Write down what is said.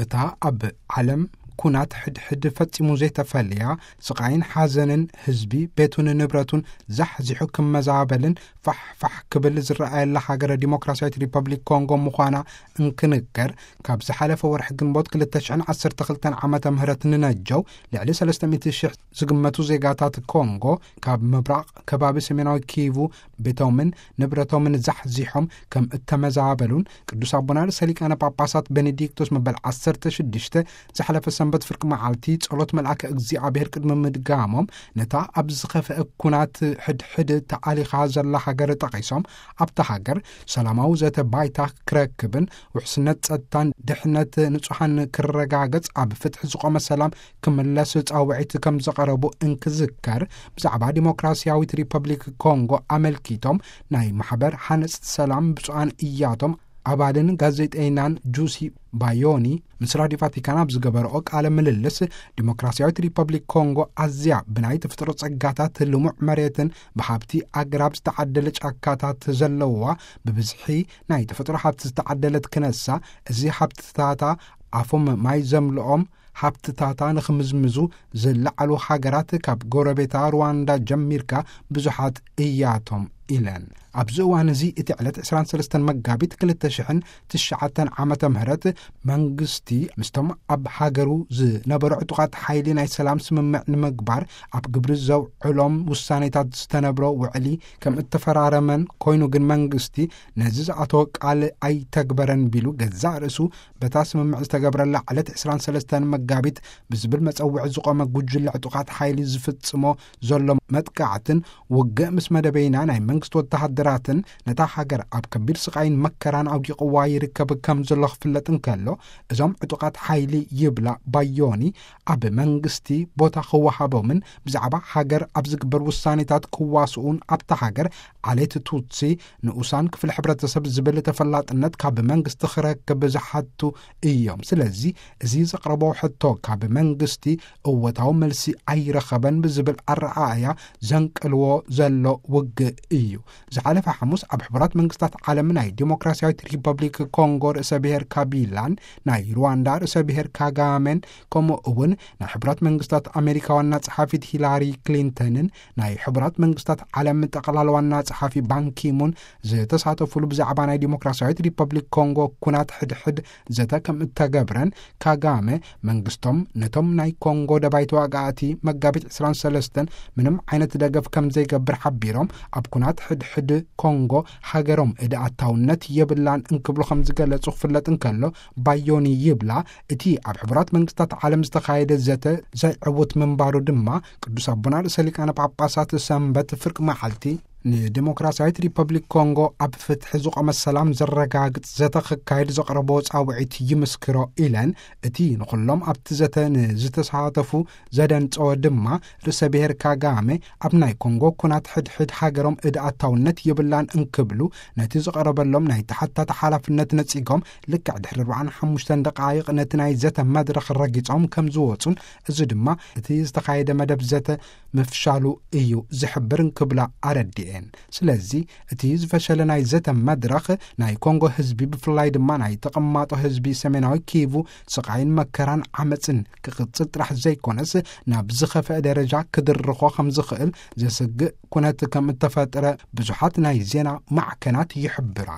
እታ ኣብ ዓለም ኩናት ሕድሕድ ፈጺሙ ዘይተፈልያ፣ ስቓይን ሓዘንን ህዝቢ ቤቱን ንብረቱን ዛሕዚሑ ክመዛበልን ፋሕ ፋሕ ክብል ዝረኣየላ ሃገረ ዲሞክራሲያዊት ሪፐብሊክ ኮንጎ ምዃና እንክንገር፣ ካብ ዝሓለፈ ወርሒ ግንቦት ክልተ ሽሕን ዓሰርተ ክልተን ዓመተ ምህረት ንነጀው ልዕሊ ሰለስተ ሚእቲ ሽሕ ዝግመቱ ዜጋታት ኮንጎ ካብ ምብራቕ ከባቢ ሰሜናዊ ኪቩ ቤቶምን ንብረቶምን ዛሕዚሖም ከም እተመዛበሉን፣ ቅዱስ ኣቦና ርእሰ ሊቃነ ጳጳሳት ቤኔዲክቶስ መበል ዓሰርተ ሽዱሽተ ዝሓለፈ ሰንበት ፍርቂ መዓልቲ ጸሎት መልኣከ እግዚኣብሔር ቅድሚ ምድጋሞም፣ ነታ ኣብ ዝኸፍአ ኩናት ሕድሕድ ተኣሊኻ ዘላ ሃገር ጠቒሶም፣ ኣብታ ሃገር ሰላማዊ ዘተ ባይታ ክረክብን ውሕስነት ጸጥታን ድሕነት ንጹሓን ክረጋገጽ፣ ኣብ ፍትሒ ዝቖመ ሰላም ክምለስ ጻውዒት ከም ዘቐረቡ እንክዝከር፣ ብዛዕባ ዲሞክራሲያዊት ሪፐብሊክ ኮንጎ ኣመልኪቶም ናይ ማሕበር ሓነጽቲ ሰላም ብፁዓን እያቶም ኣባልን ጋዜጠይናን ጁሲ ባዮኒ ምስ ራዲዮ ቫቲካን ኣብ ዝገበረኦ ቃለ ምልልስ፣ ዲሞክራሲያዊት ሪፐብሊክ ኮንጎ ኣዝያ ብናይ ተፈጥሮ ጸጋታት፣ ልሙዕ መሬትን ብሃብቲ ኣግራብ ዝተዓደለ ጫካታት ዘለዋ፣ ብብዝሒ ናይ ተፈጥሮ ሃብቲ ዝተዓደለት ክነሳ፣ እዚ ሃብትታታ ኣፎም ማይ ዘምልኦም ሃብትታታ ንኽምዝምዙ ዝለዓሉ ሃገራት ካብ ጎረቤታ ሩዋንዳ ጀሚርካ ብዙሓት እያቶም ኢለን። ኣብዚ እዋን እዚ እቲ ዕለት ዕስራን ሰለስተን መጋቢት ክልተ ሽሕን ትሽዓተን ዓመተ ምህረት መንግስቲ ምስቶም ኣብ ሃገሩ ዝነበሩ ዕጡቓት ሓይሊ ናይ ሰላም ስምምዕ ንምግባር ኣብ ግብሪ ዘውዕሎም ውሳኔታት ዝተነብሮ ውዕሊ ከም እተፈራረመን ኮይኑ ግን መንግስቲ ነዚ ዝኣተወ ቃል ኣይተግበረን ቢሉ ገዛእ ርእሱ በታ ስምምዕ ዝተገብረላ ዕለት ዕስራን ሰለስተን መጋቢት ብዝብል መጸውዒ ዝቖመ ጉጅለ ዕጡቓት ሓይሊ ዝፍጽሞ ዘሎ መጥቃዕትን ውግእ ምስ መደበይና ናይ መንግስቲ ወተሃደራትን ነታ ሃገር ኣብ ከቢድ ስቓይን መከራን ኣውዲቕዋ ይርከብ ከም ዘሎ ክፍለጥ እንከሎ፣ እዞም ዕጡቓት ሓይሊ ይብላ ባዮኒ ኣብ መንግስቲ ቦታ ክወሃቦምን ብዛዕባ ሃገር ኣብ ዝግበር ውሳኔታት ክዋስኡን ኣብታ ሃገር ዓሌት ቱትሲ ንኡሳን ክፍሊ ሕብረተሰብ ዝብል ተፈላጥነት ካብ መንግስቲ ክረክብ ዝሓቱ እዮም። ስለዚ እዚ ዘቕረቦ ሕቶ ካብ መንግስቲ እወታዊ መልሲ ኣይረኸበን ብዝብል ኣረኣእያ ዘንቅልዎ ዘሎ ውግእ እዩ። ዝሓለፈ ሓሙስ ኣብ ሕቡራት መንግስታት ዓለም ናይ ዲሞክራሲያዊት ሪፐብሊክ ኮንጎ ርእሰ ብሔር ካቢላን ናይ ሩዋንዳ ርእሰ ብሔር ካጋሜን፣ ከምኡ እውን ናይ ሕቡራት መንግስታት ኣሜሪካ ዋና ጸሓፊት ሂላሪ ክሊንተንን ናይ ሕቡራት መንግስታት ዓለም ጠቕላላ ዋና ጸሓፊ ባንኪሙን ዝተሳተፉሉ ብዛዕባ ናይ ዲሞክራሲያዊት ሪፐብሊክ ኮንጎ ኩናት ሕድሕድ ዘተ ከም እተገብረን፣ ካጋመ መንግስቶም ነቶም ናይ ኮንጎ ደባይ ተዋጋእቲ መጋቢት ዕስራን ሰለስተን ምንም ዓይነት ደገፍ ከም ዘይገብር ሓቢሮም፣ ኣብ ኩናት ሕድሕድ ኮንጎ ሃገሮም እደ ኣታውነት የብላን እንክብሉ ከም ዝገለጹ ክፍለጥ እንከሎ፣ ባዮኒ ይብላ፣ እቲ ኣብ ሕቡራት መንግስታት ዓለም ዝተኻየደ ዘተ ዘይዕውት ምንባሩ ድማ ቅዱስ ኣቦና ርእሰ ሊቃነ ጳጳሳት ሰንበት ፍርቂ መዓልቲ ንዲሞክራሲያዊት ሪፐብሊክ ኮንጎ ኣብ ፍትሒ ዝቖመ ሰላም ዘረጋግጽ ዘተ ክካየድ ዘቕረቦ ጻውዒት ይምስክሮ ኢለን፣ እቲ ንኹሎም ኣብቲ ዘተ ንዝተሳተፉ ዘደንጸወ ድማ ርእሰ ብሔር ካጋሜ ኣብ ናይ ኮንጎ ኩናት ሕድሕድ ሃገሮም እደ ኣታውነት የብላን እንክብሉ ነቲ ዝቐረበሎም ናይ ተሓታቲ ሓላፍነት ነጺጎም፣ ልክዕ ድሕሪ ኣርባዓን ሓሙሽተን ደቃይቕ ነቲ ናይ ዘተ መድረኽ ረጊጾም ከም ዝወጹን፣ እዚ ድማ እቲ ዝተኻየደ መደብ ዘተ ምፍሻሉ እዩ ዝሕብር እንክብላ ኣረዲኤን። ስለዚ እቲ ዝፈሸለ ናይ ዘተ መድረኽ ናይ ኮንጎ ህዝቢ፣ ብፍላይ ድማ ናይ ተቐማጦ ህዝቢ ሰሜናዊ ኪቩ ስቓይን መከራን ዓመጽን ክቕጽል ጥራሕ ዘይኮነስ ናብ ዝኸፍአ ደረጃ ክድርኾ ከም ዝኽእል ዘስግእ ኩነት ከም እተፈጥረ ብዙሓት ናይ ዜና ማዕከናት ይሕብራ።